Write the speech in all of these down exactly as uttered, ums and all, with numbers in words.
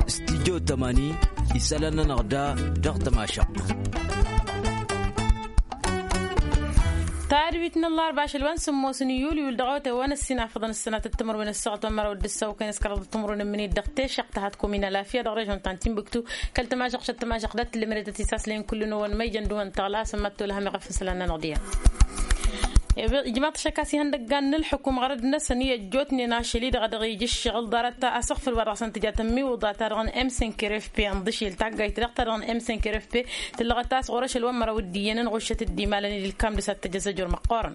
Stijjo tămani isălan-nănăɣ da dăɣ-tămašăɣt. Tadwit n-ăllarba ašăl wa n-sǝmmos n-iyulyul dăɣ-awătay wa n-ăssinafăḍăn ǝssănatăt timǝrwen ăssaɣăt wa n-măraw d-ǝssaw kăy-năskăraḍăt timǝrwen n-imǝnit dăɣ-tešăɣt ta hat-komin ălafya dăɣ-režon ta n-timbuktu. Kăl-tămašăɣt šăt tămašăɣt dat-tǝllǝmredăt isaslen kull n-ăwăn ma ijăn d-uwăn tăɣla a-s ămmat tolhăm iɣăf n-isălan-nănăɣ d-iyyăn. Ijmaḍ-t ašăk a-s ihăndăggan n-ălḥukum ɣărăd-năsăn i-ăjjootnen ašăl-i-dăɣ dăɣ-ija ǝššăɣǝl ḍarăt asăɣfăl wa dăɣ-săn tǝja tămmiwǝḍa ta dăɣ-n m cinq r f p ănḍǝšel taggayt-dăɣ ta dăɣ-n m cinq r f p tǝllăɣăt a-s ɣur-ašăl wa n-măraw d-iyyăn ănɣuššăt dd-imalăn-dd ǝlkam d-s ad-t-ăj azăjur măqqoorăn.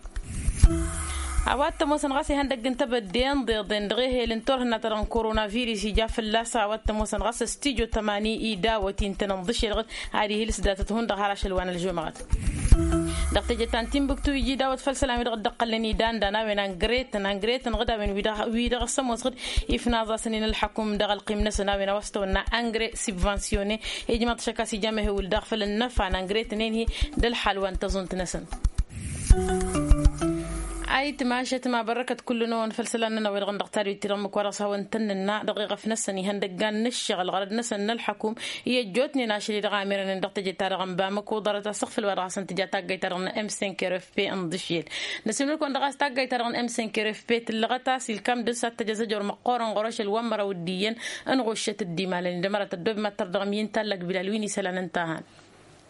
A-wa t-ămoosăn ɣas ihăndăgg n-tebădde ănḍeḍen dăɣ-ehel n-turhǝnna ta dăɣ-n koronavirus ija fălla-s a-wa t-ămoosăn ɣas ăstijo tămani idawăt intăn ănḍǝšel ɣǝd ad-ihǝlǝs datăt hundăɣ har ašăl wa n-ălžumăɣăt. Dăɣ-teje ta n-timbuktu iji dawăt făll-isălan wi-dăɣ dd-ăqqălnen idandan a-wen angretăn angretăn ɣǝd a-wen wi-dăɣ wi-dăɣ s-ămoos ɣǝd ifnaẓ-asăn-in ălḥăkum dăɣ-ălqim-năsăn a-wen a-wa s-tăwănna angre sibvansyone. Ijmăḍ-t ašăk a-s ija mehewǝl daɣ făll-ănnăfa n-angretăn-en-hi d-ălḥal wa n-tăẓunt-năsăn. Ayǝtma ašăt ma bărrăkăt kull-năwăn făll-isălan-nănăɣ wi-dăɣ n-dăɣ tadwit-ti-dăɣ ǝmmǝk wa dăɣ-s hawăn-tăn-nǝnna dăɣ-iɣăf-năsăn ihăndăggan n-ǝššăɣǝl ɣărăd-năsăn n-ălḥăkum i-ăjjootnen ašăl-i-dăɣ amirănen dăɣ-teje-ta-dăɣ n-bamăko ḍarăt asǝɣfǝl wa dăɣ-hasăn-tǝja taggayt-ta-dăɣ n-m cinq r f p ǝnḍǝšel. Năsiilmăl-kăwăn dăɣ-a-s taggayt-ta-dăɣ n-m cinq r f p tǝllăɣăt a-s ilkam dăr-s ad-t-ăj azăjor măqqoorăn ɣur-ašăl wa n-măraw d-iyyăn ănɣuššăt dd-imalăn-in d-ămărat ăddob mad-tărdăɣăm i-n tallăg bilal wi n-isălan ǝnta a han.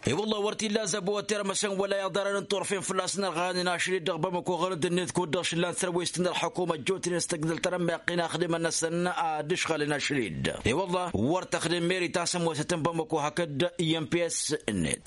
E-wălla wăr t-illa zăbo wa t-irmăsăn wăla iḍarăn n-turfen fălla-s n-ărɣanen ašăl-i-dăɣ bamăko ɣărăd-net kud-dăɣ šǝllan sărwest n-ălḥăkum ăjjootnen s-tăgdăl tărămmeɣ-t inăxdimăn-năsăn ad-ǝšɣălăn ašăl-i-dd. E-wălla wăr tăxdem meri ta s-ămoosătăn bamăko hakd i-m p s net.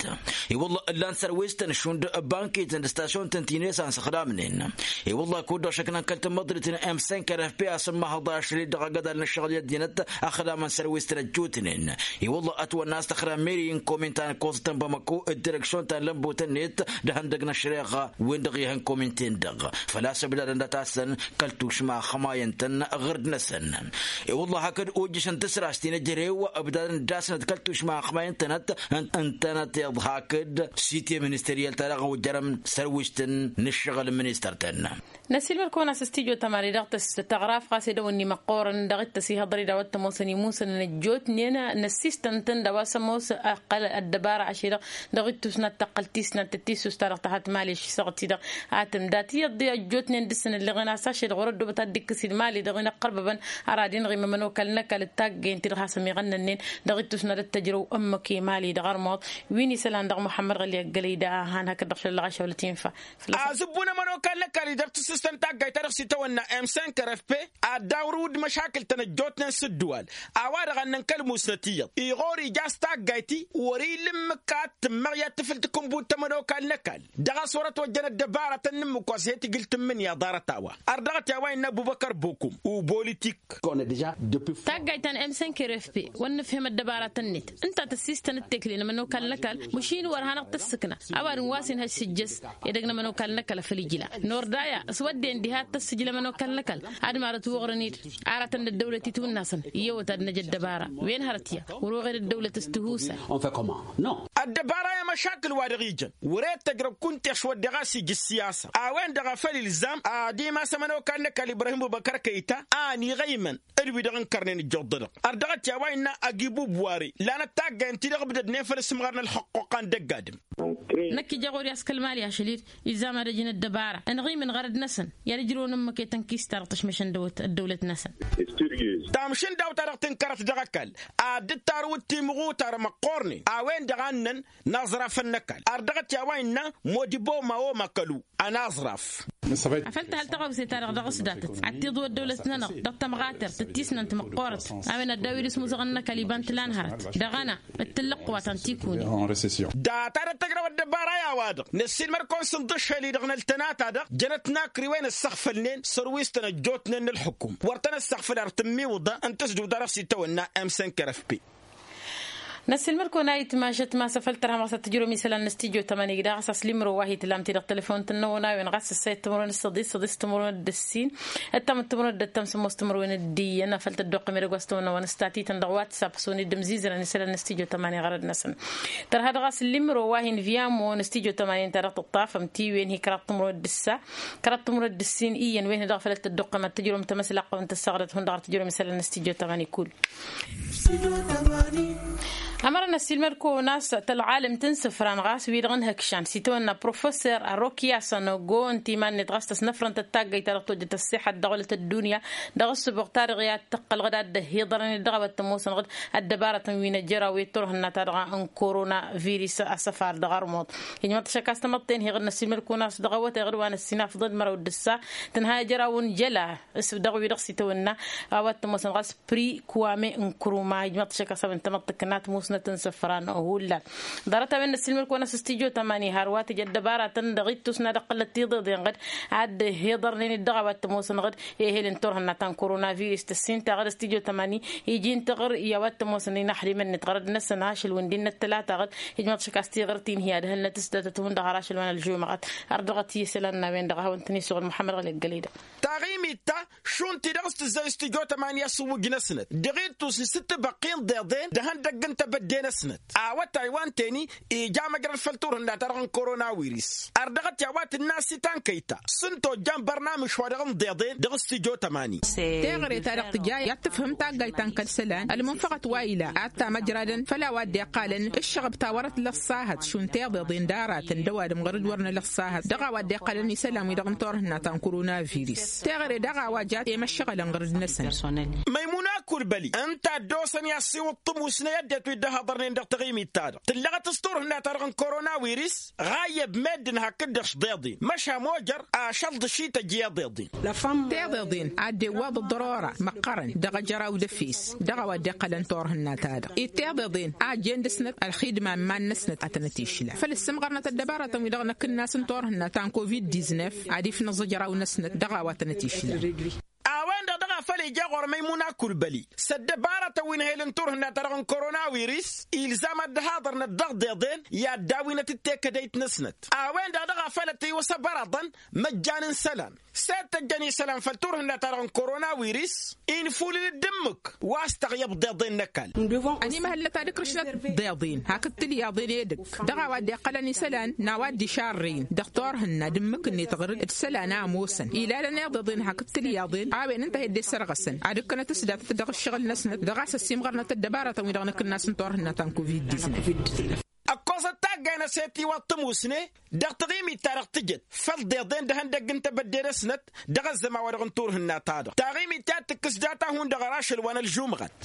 E-wălla ǝllan sărwest n-šund bankităn d-stasyon-tăn ti-net a n-săxdamnen. E-wălla kud-dăɣ šăknăn kăl-tămmăḍrit n-m cinq r f p a-s ămmahăḍ ašăl-i-dăɣ agădal n-ăššăɣǝl i-ăddinăt ăxdamăn sărwest n-ăjjootnen. I-wălla ătwănna a-s tăxra meri n-komin ta n-koẓăt n-bamăko d-direksyon ta n-lămbutăn-net d-ehăndăg n-ăššăreɣa wen-dăɣ ihăn komin-ten-dăɣ. Făl-a-s ǝbdadăn dat-asăn kăl-tušma ăxmayăn-tăn ɣǝrd-năsăn. I-wălla hakd ojjăšăn tǝsrast-i n-ejărew ǝbdadăn d-asnăt kăl-tušma ăxmayăn-tănăt. Ǝntănăt iḍ hakd site ministăryal-ta-dăɣ ojărăm sărwistăn n-ǝššăɣǝl ministăr-tăn. Năsiilmăd-kăwăn a-s ăstijo tămani dăɣ-tăs tăɣraf ɣas edăwănni măqqoorăn dăɣ-t tăsihăḍăr-i d-a-wa t-ămoosăn imusăn n-ăjjootnen. Năssistăn-tăn d-a-wa s-ămoos ăqqăl ăddăbara ašăl-i-dăɣ dăɣ-ittus n-ad-tăqqăl tisnant d-tissus-ta-dăɣ tăhat mali ăššăɣ-t-i-dăɣ. Ad-tǝmdat iyyăḍ ăjjootnen dăr-săn ǝlleɣen a-s ašăl-i-dăɣ wăr-ăddoobăt ad-dd-ikkǝs d-mali-dăɣ inăqqărbăbăn. Ăradin ɣimămăn okal n-ăkall d-taggăyăn-ti-dăɣ hasăn-iɣănnănnen dăɣ-ittus n-ad-ăttăjrăw ǝmmǝk i-mali dăɣ-ărmuḍ. Wi n-isălan dăɣ-muḥămmăd ɣăli ăggălăy da a han hakd-dăɣ šăllăɣ ašăwălăt infa. Făl-a-s ăbbu n-ămănokal n-ăkall-i dăr-tǝssǝstăn taggayt-ta-dăɣ s-itawănna m cinq r f p ad-dawrǝw d-măšakǝl-tăn ăjjootnen s-ǝddǝwal. A-wa-dăɣ ănnăn kăl-musnăt iyyăḍ iɣor ija a-s taggayt-i wăr-ila ǝmmǝk ad-tǝmmăɣ i-ad-tǝfǝl takǝnbut ta n-ămănokal n-ăkall. Dăɣ-a-s wăr-ătwăjjăn ăddăbarătăn n-ǝmmǝk wa s-he-tǝjǝl tǝmmǝnǝya ḍarăt a-wa ărdăɣăt i-a-wa innă ăbubăkăr bokum. Uboolitik. Taggayt ta n-m cinq r f p wăr nǝfhem ăddăbarătăn-net ǝnta tăssistăn d-tekle n-ămănokal n-ăkall măšin wăr hanăɣ-tăssǝkna. Ăwadǝm wa s-inhăj s-ǝjjăs edăgg n-ămănokal n-ăkall făll-ijla. Nordaya s-wădden diha ad-tăssǝjǝl ămănokal n-ăkall ad-marăt wăɣrăn-dd aratăn d-ăddăwlăt itwǝnnasăn. Iyyăwăt ad-năj ăddăbara wen hărăt ya wăr-oɣed ăddăwlăt s-tihusar. Ăddăbara i-măšakǝl wa dăɣ-ijăn wăr-e d-tăjrăw kunta i-ašwăddeɣ a-s ija ǝssiyasa. A-wen-dăɣ a făl ilzam ad-imas ămănokal n-ăkall ibrahim bubăkăr kăyta a ăniɣăymăn d-wi-dăɣ ǝnkărnen ǝjjuḍ-dăɣ. Ărdăɣăt i-a-wa innă ăgg-ibubuware lanăt taggayăn-ti-dăɣ ǝbdădnen făll-asǝmɣar n-ălxăqquqa n-dăgg-adǝm. Năkk ija ɣur-i a-s kăl-mali ašăl-i-dd ilzam ad-ăj n-ăddăbara ănɣimǝn ɣărăd-năsăn i-ad-ǝjrǝwăn ǝmmǝk i-tănkist-ta-dăɣ tăšmăšăn dăwăt ăddăwlăt-năsăn. Tamšǝndawt ta dăɣ-tǝnkărăt dăɣ-ăkall ad-dd-tarǝwǝd timɣutar măqqoornen a-wen-dăɣ a ǝnnăn n-aẓraf n-ăkall ărdăɣăt i-a-wa innă modibo ma omăkălu. Ănaẓraf. Afăl tăhăl tăɣawse-ta-dăɣ dăɣ-s datăt ad-t-iḍǝw ăddăwlăt-nănăɣ dăɣ-tămɣatert d-tisnant măqqoorăt. A-wen ăddaw-dd s-imuzăɣăn n-ăkall iba n-tǝla n-hărăt dăɣ-ăna d-tǝllăqq wa ta n-tikune. Data d-tăjrăw ăddăbara i-a-wa-dăɣ năssiilmăr-kăwăn s-ǝnḍǝššel-i-dăɣ n-ăltănata-dăɣ jănăt n-akriwen ǝssăɣfălnen sărwis-tăn ăjjootnen n-ălxukum wăr tăn-ăssăɣfăl ar tǝmmiwǝḍa n-tǝsdǝwt-ta-dăɣ s-itawănna m cinq r f p. Năssiilmăd-kăwăn a itmašăt ma s-afăl tărhăm ɣas ad-tǝjrǝwăm isălan n-studyo tămani gdaɣ ɣas aslimro wa hi-tǝlam-ti dăɣ-telefon-tăn n-awănaywen ɣas ǝssa i-timǝrwen s-săḍis săḍis timǝrwen d-ǝssin ǝttam d-timǝrwen d-ǝttam sǝmmos timǝrwen d-iyyăn afăl tăddoqqăm edăgg wa s-tăwănna wa n-ǝstat-ităn dăɣ-whatsapp s-unǝy dd-ǝmzizărăn isălan n-studyo tămani ɣărăd-năsăn. Tărha dăɣ-aslimro wa hin-vyamo n-studyo tămani ǝnta dăɣ-tǝṭṭafăm-t i-wen hi-kăraḍ timǝrwen d-ǝssa kăraḍ timǝrwen d-ǝssin iyyăn wen hi-dăɣ făl ăttăddoqqăm ad-tǝjrǝwăm tamăslaqqăwăn tăssaɣdăt hundăɣ ad-tǝjrǝwăm isălan n-studyo tămani kull. Ămărăn ăssiilmăd-kăwăn a-s tălɣalăm tǝnsǝfran ɣas wi-dăɣ n-hǝkšan s-itawănna professor arokya sanogo ǝnta iman-net ɣas tăsnăfrăn-tăt taggayt-ta-dăɣ tojjăt ăṣṣiḥăt dăɣ-wălăt ăddunya dăɣ-ăssǝboɣ-ta-dăɣ i-ad-tǝqqălăɣ d-ad-dd-ăhhiḍărăn-dd dăɣ-a-wa t-ămoosănăɣ d-ăddăbarătăn wi n-ejăraw i-turhǝnna-ta-dăɣ n-korona virus asăfar dăɣ-armuḍ. Ijmăḍ-t ašăk a-s tamăḍten heɣ-dd năssiilmăd-kăwăn a-s dăɣ-awătay ɣǝd wa n-ăssinafḍăn măraw d-ǝssa tǝnha ejăraw n-jăla s-dăɣ-wi-dăɣ s-itawănna a-wa t-ămoosănăɣ a-s pri kuwame n-kăruma ijmăḍ-t ašăk a-s a-wen tamăḍt tǝknat musnăt n-isăfran hullan. Ḍarăt-a-wen năssiilmăd-kăwăn a-s studyo tămani har wa tǝjăt dăbaratăn dăɣ-ittus n-ad-ăqqǝlăt tiḍeḍen ɣǝd ad-dd-hiḍărnen-dd dăɣ-a-wa t-ămoosăn ɣǝd ehel n-turhǝnna ta n-korona virus tăssin-taɣ d-studyo tămani iji n-tiɣǝr i-a-wa t-ămoosăn inaxdimăn-net ɣărăd-năsăn ašăl wi n-dd-inăttăla taɣǝd. Ijmăḍ ašăk a-s tiɣǝrt-in hi-ad-hălnăt s-datăt hundăɣ har ašăl wa n-ălžumăɣăt. Ărdăɣăt i-isălan n-a-wen-dăɣ a hawăn-tăn-isuɣǝl muḥămmăd ɣăli ăggălăy-dăɣ. Taɣimit ta šund-ti-dăɣ s-tǝzzay studyo tămani asǝwwǝj-năsnăt dăɣ-ittus n-sǝttǝbăqqin d-iḍen d-ehăndăgg n-tebădde-năsnăt. Awătay wa n-teni ija măjrăd făll-turhǝnna-ta-dăɣ n-korona wiris. Ărdăɣăt i-a-wa tǝnna s-itankăy-ta s-ǝnta ojjan bărnamǝš wa dăɣ-n d-iḍen dăɣ-studyo tămani. Teɣăre-ta-dăɣ tǝja i-ad-tǝfhǝm taggayt ta n-kăl-isălan ălmunfăɣăt wa ila ad-tamăjradăn făll-a-wa dd-iqqalăn ǝššăɣăb ta wărăt lăṣṣahăt šund tiḍeḍen d-aratăn d-ăwadǝm ɣur-dd wăr nălăṣṣahăt dăɣ-a-wa dd-iqqalăn isălan-wi-dăɣ n-turhǝnna ta n-korona virus. Teɣăre daɣ a-wa jat i-măššăɣălăn ɣur-dd-năsăn. Măymuna kulbăli ǝnta a dd-osăn i-assiwǝḍ tămusne ăddinăt wi dd-ăhhăḍărnen dăɣ-taɣimit-ta-dăɣ tǝllăɣăt s-turhǝnna-ta-dăɣ n-korona wiris. Ɣayyăb meddǝn hakd-dăɣ-š d-iḍen măšan mojăr ašăl d-ašităj i-iḍeḍen. Teḍeḍen a dd-iwwaḍ ăḍrora măqqărăn dăɣ-ejăraw d-efes dăɣ-a-wa dd-iqqălăn turhǝnna-ta-dăɣ. Ed teḍeḍen a ăjjeen dăɣ-snăt ălxidma n-iman-năsnăt ad-tăn-ătišla făl ǝssǝmɣărnăt ăddăbarătăn-wi-dăɣ n-akǝnnas n-turhǝnna ta n-covid-diznef ad-ifnăẓ ejăraw-năsnăt dăɣ-a-wa tăn-ătišla. A-wen-dăɣ dăɣ-a făl ija ɣur-măymuna kulbăli s-ăddăbarătăn wi n-ehel n-turhǝnna-ta-dăɣ n-korona wiris ilzam ad-dd-haḍărnăt dăɣ-deḍen i-ad-dawinăt d-tekădăyt-năsnăt. A-wen-dăɣ dăɣ-a făl ătwăsăbărăḍăn măjjan n-isălan s-e-d tăjjăn isălan făll-turhǝnna-ta-dăɣ n-korona wiris. Infulǝl-dd ǝmmǝk wa s-tăɣyăb deḍen n-ăkall. Ănimăhăllăt ad-ǝkrǝšnăt deḍen hakd tilyaḍen edăgg dăɣ-a-wa dd-iqqălăn isălan n-a-wa dd-išarrăyăn dăɣ-turhǝnna d-ǝmmǝk-net ɣur-dd d-isălan a ămoosăn ilalăn iḍeḍen hakd tilyaḍen a-wen ǝnta a he-dd-issărɣăsăn ad-ǝkkănăt s-datăt dăɣ-ǝššăɣǝl-năsnăt dăɣ-a-s ăsimɣărnăt ăddăbarătăn-wi-dăɣ n-akǝnnas n-turhǝnna ta n-covid-diznef. Ăkkoẓăt taggay n-aset iwăḍ tămusne dăɣ-taɣimit-ta-dăɣ tǝjăt făll-deḍen d-ehăndăgg n-tebădde-năsnăt dăɣ-ăzzăman-wa-dăɣ n-turhǝnna-ta-dăɣ taɣimit-ta tǝkkǝs data hundăɣ ărašăl wa n-ălžumɣăt.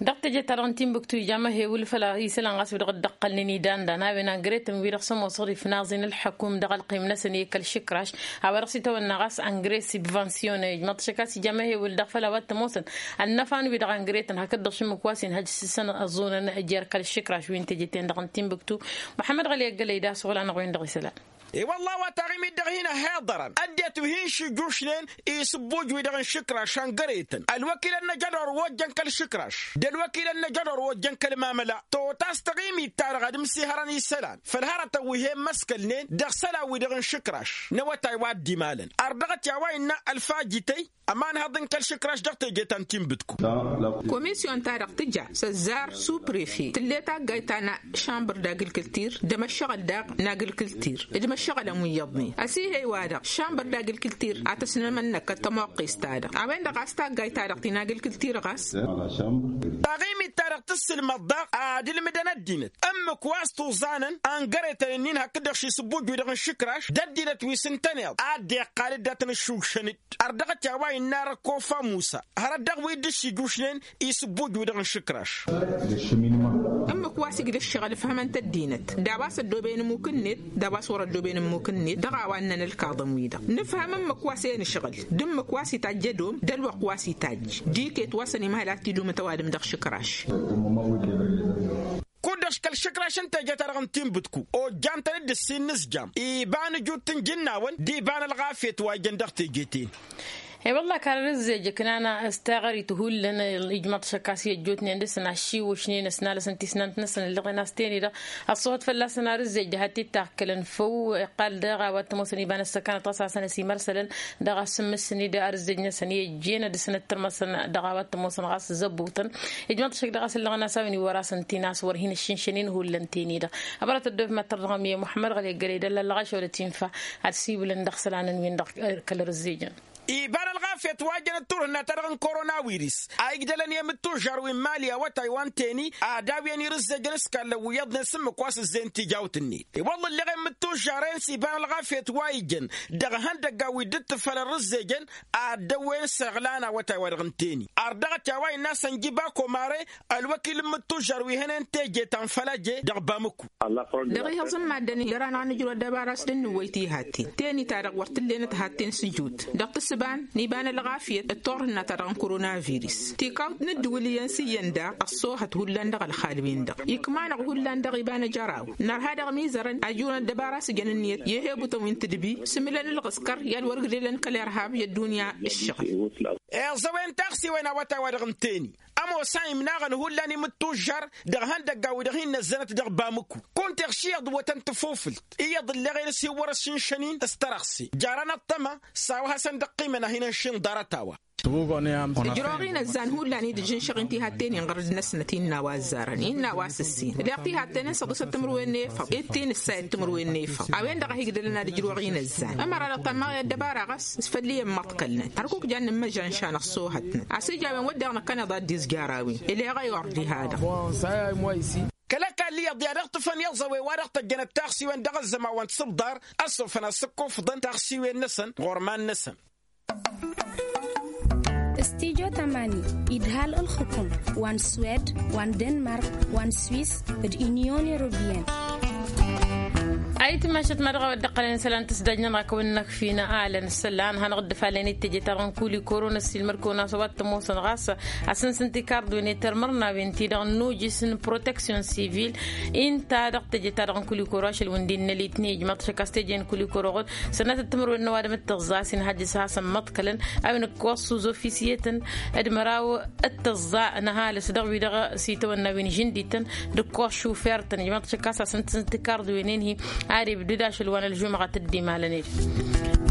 Dăɣ-teje-ta-dăɣ n-timbuktu ija măhewǝl făll-isălan ɣas wi-dăɣ dd-ăqqălnen idandan a-wen angretan wi-dăɣ s-ămoosăɣ d-ifnaẓen ǝlḥăkum dăɣ-ălqim-năsăn i-kăl-išǝkraš a-wa dăɣ-s itawănna ɣas angre sibvansyone ijmăḍ-t ašăk a-s ija măhewǝl dăɣ-făll-a-wa t-ămoosăn ănnăfan-wi-dăɣ angretan hakd-dăɣ šǝmmǝk wa s-inhăj s-săn ăẓunăn jer-kăl-išǝkraš wi n-teje-ten-dăɣ n-timbuktu. Muḥămmăd ɣăli ăggălăy d-asăɣla-năɣ-wen-dăɣ isălan. E-wălla a-wa taɣimit dăɣ-hin-ăhhiḍărăn ăddinăt wi hin-šǝjjušnen isǝbbuj-wi-dăɣ n-išǝkraš ăngăretăn ălwăkilăn n-ajădor wa ojjăn kăl-išǝkraš d-ălwăkilăn n-ajădor wa ojjăn kăl-mamăla. Tăwăt a-s taɣimit-ta-dăɣ ad-ǝmsihărăn isălan făll-hărătăn wi he-immăskălnen dăɣ-isălan-wi-dăɣ n-išǝkraš n-awătay wa dd-imalăn. Ărdăɣăt i-a-wa innă ălfajităy ămanhăḍ n-kăl-išǝkraš dăɣ-teje ta n-tinbǝdku. Komisyon-ta-dăɣ tǝja s-ăzzar suprefe tǝll'-e taggayt ta n-šambăr d-agǝlkǝltir d-emăššăɣǝl daɣ n-agǝlkǝltir d-imăššăɣǝlăn wi iyyăḍnen ăsihăy-wa-dăɣ šambăr d-agǝlkǝltir a tăsnămănnăkăt tămoqqest-ta-dăɣ a-wen-dăɣ a-s taggayt-ta-dăɣ ti n-agǝlkǝltir ɣas. Taɣimit-ta-dăɣ tǝssǝlmăḍ daɣ ad-ǝlmǝdăn ăddinăt ǝmmǝk wa s-tuẓanăn ăngăretăn-nin hakd-dăɣ šisǝbbuj-wi-dăɣ n-išǝkraš d-ăddinăt wi s-ǝntăneḍ a dd-iqqal dd-ad-tăn-ǝššuggšăn-dd. Ărdăɣăt i-a-wa innă răkkofa musa hărăt dăɣ-wi dd-ǝššǝjjušnen isǝbbuj-wi-dăɣ n-išǝkraš. Ǝmmǝk wa s-igdă ǝššăɣǝl ǝfhămăn-t ăddinăt d-a-wa s-ăddooben ǝmmuk-net d-a-wa s-wăr-ăddooben ǝmmuk-net dăɣ-a-wa ǝnnăn ǝlkaḍăn-wi-dăɣ nǝfhăm ǝmmǝk wa s-e-nǝšɣǝl d-ǝmmǝk wa s-itajj ădom d-ălwăqq wa s-itajj d-iket wa s-ănimhăl ad-t-idumǝt ăwadǝm dăɣ-išǝkraš. Kud-dăɣ kăl-išǝkraš n-teje-ta-dăɣ n-tinbǝdku ojjan-tăn-dd ǝssin n-ǝzjam iba n-ǝjut n-ijǝnnawăn d-iba n-ălɣafyăt wa ijăn dăɣ-teje-ten. I-wălla karăr ǝzzej ǝknana s-taɣărit hullan. Ijmăḍ šăkkas i-ăjjootnen dăr-săn aššiwăšnen ăsnalăsăn tisnant-năsăn ǝllăɣen a-s ten-i-dăɣ ăṣṣuhăt fălla-săn ar ǝzzej d-hat-i dd-taɣkălăn făw. Iqqal daɣ a-wa t-ămoosăn iba n-ăssăkanăt ɣas hasăn-ăsimărsălăn dăɣ-asǝmmǝs-săn-i d-ar ǝzzej-năsăn i-ăjjeen ad-dăr-săn ǝttărmăsăn dăɣ-a-wa t-ămoosăn ɣas zăbutăn. Ijmăḍ šăkk dăɣ-a-s ǝllăɣăn a-s a-wen iwwăr-asăn tinas wăr hin-ăššǝnšănen hullan ten-i-dăɣ. Ăbărăt ăddof ma t-tărrăɣăm i-muḥămmăd ɣăli ăggălăy d-ăllallăɣ ašăwălăt infa ad-siwǝlăn dăɣ-isălan n-win-dăɣ kăl-ărǝzzejăn. Iba n-ălɣafyăt wa jăn d-turhǝnna-ta-dăɣ n-korona wiris a igdălăn i-imǝttužžar wi n-mali awătay wa n-teni ad-awǝyăn irǝzzejăn s-kallăn wi iyyăḍnen s-ǝmmǝk wa s-ǝzzeyăn tijawt-net. I-wălla ǝlleɣ i-imǝttužžar-en s-iba n-ălɣafyăt wa ijăn dăɣ-ihăndăggan wi dd-tǝffălăn irǝzzejăn ad-dd-ăwwen s-iɣlan awătay wa dăɣ-n teni. Ardăɣăt i-a-wa innă a-s ănjǝba komare ălwăkil n-imǝttužžar wi hănen teje ta n-făl ăje dăɣ-bamǝku. Dăɣ-ihăẓ n-maddǝn i-dăr-anăɣ a nǝjrăw ăddăbara a-s dd-nǝwwăy tihatten teni-ta-dăɣ wăr t-ǝllenăt hatten s-ǝjut dăɣ-tǝssǝban n-iba n-ălɣafyăt d-turhǝnna-ta-dăɣ n-korona viris. Tikawt n-ǝddǝwǝl iyyăn s-iyyăn daɣ ăṣṣoohăt hullan dăɣ-ălxal-win-dăɣ ikmanăɣ hullan dăɣ-iba n-ajăraw. Nărha dăɣ-imizărăn a ǝjunăn ăddăbara a-s ǝjăn ǝnniyăt i-ehebutăn wi n-tǝdbi s-imǝlăn ălɣǝskăr i-ad-wăr ǝgdǝlăn kăl-irhab i-ăddunya. Ǝššăɣǝl. Iẓăwen taɣsiwen awătay-wa-dăɣ n-teni ămoos a imnaɣăn hullan imǝttužžar dăɣ-ihăndăggan wi-dăɣ hin-năzzănăt dăɣ-bamǝku. Kunta iɣš iyyăḍ ǝwwătăn tafufǝlt iyyăḍ ǝlleɣ-en s-iwwăr-ăššǝnšăn-in s-tărăɣse. Jarăn ăṭṭăma s-a-wa hasăn-dd-ăqqimăn a hin-ănšǝn ḍarăt-a-wa. Ǝjrăwăɣ-in ăzzan hullan-i d-ǝžžǝnšăɣ-in tihatten-in ɣărăd-năsnăt innă a-wa ăzzarăn innă a-wa s-ǝssin ǝlleɣ tihatten-in săḍisăt timǝrwen n-efăḍ. Ed ti n-ǝssayăt timǝrwen n-efăḍ a-wen-dăɣ a hi-igdălăn ad-ǝjrăwăɣ-in ăzzan ămăra dăɣ-tămmaɣ i-ăddăbara ɣas s-făll-i ămmăḍkălnăt hărkuk jannen măžžan šan ăṣṣoohătnăt. A-s ija a-wen wădden năkkăneḍ ad-dd-izjarawen. Ǝleɣ ayord-i ha-dăɣ. Kăl-ăkall iyyăḍ i-ad-ăɣ-tǝfăn iẓăwe wa dăɣ-tăjjănăt taɣsiwen dăɣ-ăzzăman wa n-tisǝbḍar ăssofăn ad-sǝkkufǝḍăn taɣsiwen-năsăn ɣur-iman-năsăn. Studyo tamani idhal ǝlxǝkum wa n-swed wa n-denmark wa n-swis d-inyon europiyăn. Ayǝtmašăt ma dăɣ-a-wa dd-iqqălăn isălan tǝsdajnăn ɣakăwăn-năkf fina alăn isălan hanăɣ-dd-ǝfalăn i-teje-ta-dăɣ n-kuli korona s-ilmăr-kăwăn a-s a-wa t-ămoosăn ɣas. Asǝnsǝn tikardwen i-termărnawen-ti-dăɣ n-nujǝs n-proteksyon sivil. Inta dăɣ-teje-ta-dăɣ n-kuli koro ašăl wi n-dd-innăl itnejmăḍ šăkk a-s teje n-kuli koro ɣud sănatăt timǝrwen n-ăwadǝm d-tǝẓẓa a-s inhăjjǝs a hasăn măḍkălăn a-wen ǝkkoẓ s-uzofisiyetăn d-măraw d-tǝẓẓa n-ăhalǝs dăɣ-wi-dăɣ s-itawănna wi n-žǝndităn d-ǝkkoẓ šufer-tăn ijmăḍ šăkk a-s asǝntǝzǝn tikarḍiwen-en-hi. Ad-ibdǝd ašăl wa n-ălžumɣăt dd-imalăn-dd.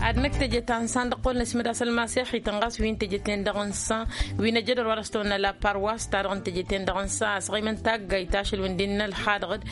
Ad-năkk teje ta n-san dăɣ-kăwăl n-asmǝd a-s ălmasex-ităn ɣas wi n-teje-ten-dăɣ n-san wi n-ăjădăr wa dăɣ-s tawănna la parwas ta dăɣ-n teje-ten-dăɣ n-san a-s ɣimăn taggayt ašăl wi n-dd-innălxadăɣ-dd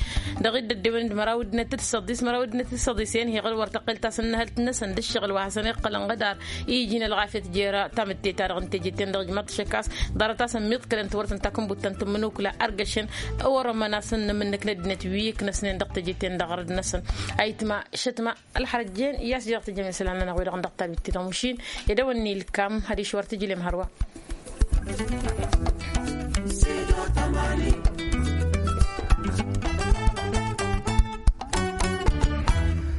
dăɣ-dd-ăddewăn d-măraw ǝddinăt d-săḍis măraw ǝddinăt d-săḍis-en hi-iɣǝl wăr tăqqel tasǝnnăhălt-năsăn d-ǝššăɣǝl wa hasăn-iqqălăn ɣǝdar. Iji n-ălɣafyăt jer-tamǝtte-ta-dăɣ n-teje-ten-dăɣ ǝjmăḍ-t šăkkas ḍarăt-asăn miḍkălăn tiwărtăn takǝnbut ta n-tǝmmǝnukla ărgăšăn. Ăwărămăn-asăn n-amǝnnǝk n-ăddinăt wi ǝknăsnen dăɣ-teje-ten-dăɣ ɣărăd-năsăn. Ayǝtma šătma ălxărăt jen i-a-s jăr tǝjjăm isălan-nănăɣ wi-dăɣ n-dăɣ-tabit-ti-dăɣ mašin. Ed a-wăn-nilkam hadiš wăr tǝjlem hărwa.